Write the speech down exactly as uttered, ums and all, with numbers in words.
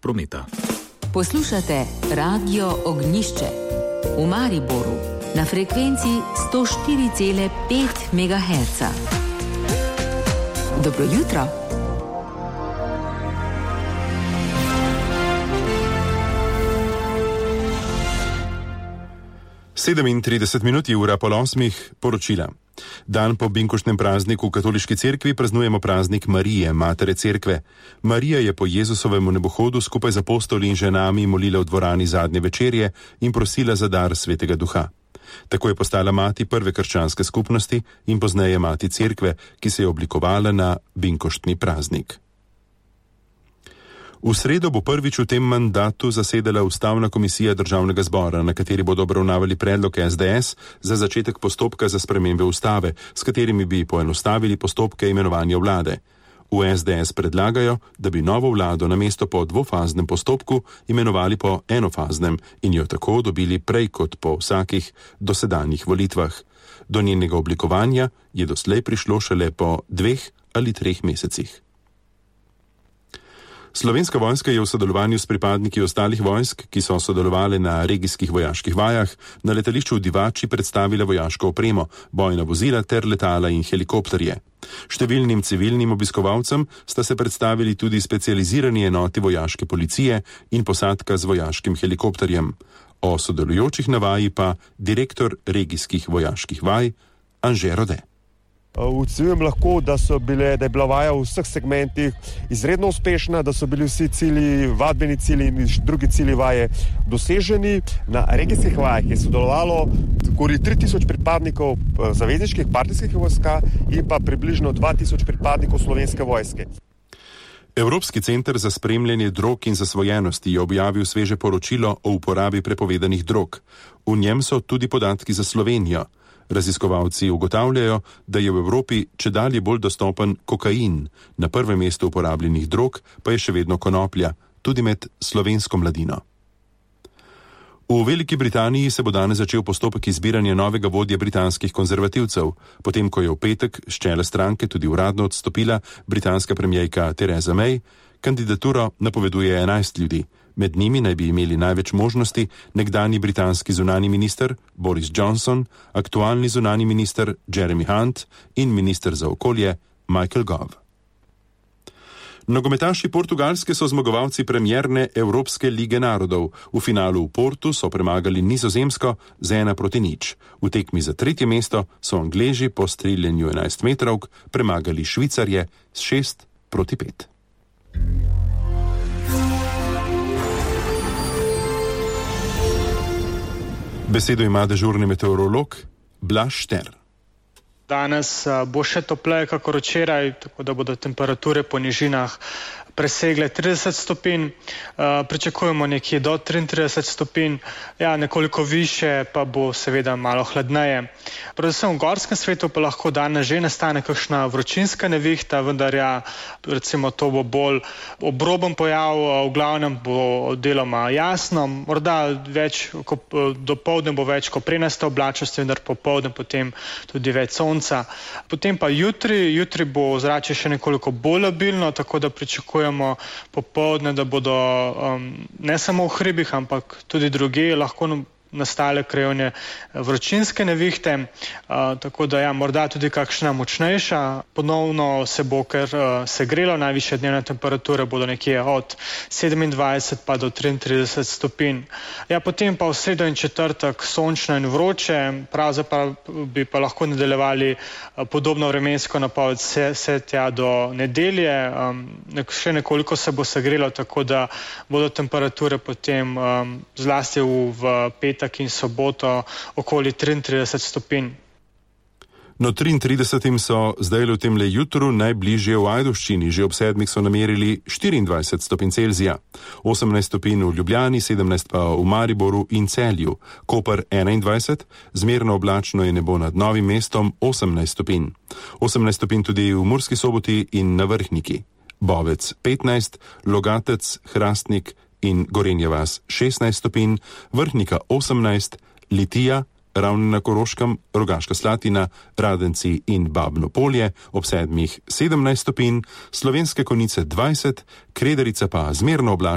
prometa. Poslušate Radio Ognjišče v Mariboru na frekvenci sto štiri cela pet megaherca. Dobro jutro. sedemintrideset minut je ura pol osmih, poročila. Dan po binkoštnem prazniku v katoliški cerkvi praznujemo praznik Marije, matere cerkve. Marija je po Jezusovem nebohodu skupaj z apostoli in ženami molila v dvorani zadnje večerje in prosila za dar Svetega Duha. Tako je postala mati prve krščanske skupnosti in pozneje mati cerkve, ki se je oblikovala na binkoštni praznik. V sredo bo prvič v tem mandatu zasedala Ustavna komisija Državnega zbora, na kateri bodo obravnavali predlog es de es za začetek postopka za spremembe ustave, s katerimi bi poenostavili postopke imenovanja vlade. V es de es predlagajo, da bi novo vlado namesto po dvofaznem postopku imenovali po enofaznem in jo tako dobili prej kot po vsakih dosedanjih volitvah. Do njenega oblikovanja je doslej prišlo šele po dveh ali treh mesecih. Slovenska vojska je v sodelovanju s pripadniki ostalih vojsk, ki so sodelovali na regijskih vojaških vajah, na letališču v Divači predstavila vojaško opremo, bojna vozila ter letala in helikopterje. Številnim civilnim obiskovalcem sta se predstavili tudi specializirani enoti vojaške policije in posadka z vojaškim helikopterjem. O sodelujočih na vaji pa direktor regijskih vojaških vaj Anže Rode. Ocenjujem lahko, da, so bile, da je bila vaja v vseh segmentih izredno uspešna, da so bili vsi cilji, vadbeni cilji in drugi cilji vaje doseženi. Na regijskih vajah je sodelovalo okoli tri tisoč pripadnikov zavezniških partijskih vojska in pa približno dva tisoč pripadnikov Slovenske vojske. Evropski center za spremljanje drog in zasvojenosti je objavil sveže poročilo o uporabi prepovedanih drog. V njem so tudi podatki za Slovenijo. Raziskovalci ugotavljajo, da je v Evropi čedalje bolj dostopen kokain, na prvem mestu uporabljenih drog pa je še vedno konoplja, tudi med slovensko mladino. V Veliki Britaniji se bo danes začel postopek izbiranja novega vodje britanskih konzervativcev, potem ko je v petek s čela stranke tudi uradno odstopila britanska premierka Theresa May. Kandidaturo napoveduje enajst ljudi. Med njimi naj bi imeli največ možnosti nekdanji britanski zunani minister Boris Johnson, aktualni zunani minister Jeremy Hunt in minister za okolje Michael Gove. Nogometaši Portugalske so zmagovalci premierne Evropske lige narodov. V finalu v Portu so premagali Nizozemsko z ena proti nič. V tekmi za tretje mesto so Angleži po streljanju enajst metrovk premagali Švicarje s šest proti pet. Besedo ima dežurni meteorolog Blaž Šter. Danes bo še topleje kakor včeraj, tako da bodo temperature po nižinah presegle trideset stopinj, pričakujemo nekje do triintrideset stopinj, ja, nekoliko više pa bo seveda malo hladneje. Predvsem v gorskem svetu pa lahko danes že nastane kakšna vročinska nevihta, vendar ja, recimo to bo bolj obroben pojav, v glavnem bo deloma jasno, morda več, dopoldne bo več koprenaste oblačnosti, vendar popoldne potem tudi več sonca. Potem pa jutri, jutri bo zrače še nekoliko bolj labilno, tako da pričakujemo popoldne, da bodo um, ne samo v hribih, ampak tudi drugje lahko nastale krajevne vročinske nevihte, uh, tako da ja, morda tudi kakšna močnejša. Ponovno se bo kar uh, segrelo, najvišje dnevne temperature bodo nekje od sedemindvajset pa do triintrideset stopinj. Ja, potem pa v sredo in četrtek sončno in vroče, pravzaprav bi pa lahko nadaljevali uh, podobno vremensko napoved vse, vse tja do nedelje. Um, nek, še nekoliko se bo segrelo, tako da bodo temperature potem um, zlasti v, v petek in soboto okoli triintrideset stopinj. No, triintridesetim so zdaj v temle jutru najbližje v Ajdovščini, že ob sedmih so namerili štiriindvajset stopinj Celzija, osemnajst stopinj v Ljubljani, sedemnajst pa v Mariboru in Celju, Koper enaindvajset, zmerno oblačno je nebo nad Novim mestom osemnajst stopinj, osemnajst stopinj tudi v Murski Soboti in na Vrhniki, Bovec petnajst, Logatec, Hrastnik in Gorenja vas šestnajst stopinj, Vrhnika osemnajst, Litija, Ravne na Koroškem, Rogaška Slatina, Radenci in Babno Polje ob sedmih sedemnajst stopinj, Slovenske Konjice dvajset, Kredarica pa zmerno oblačno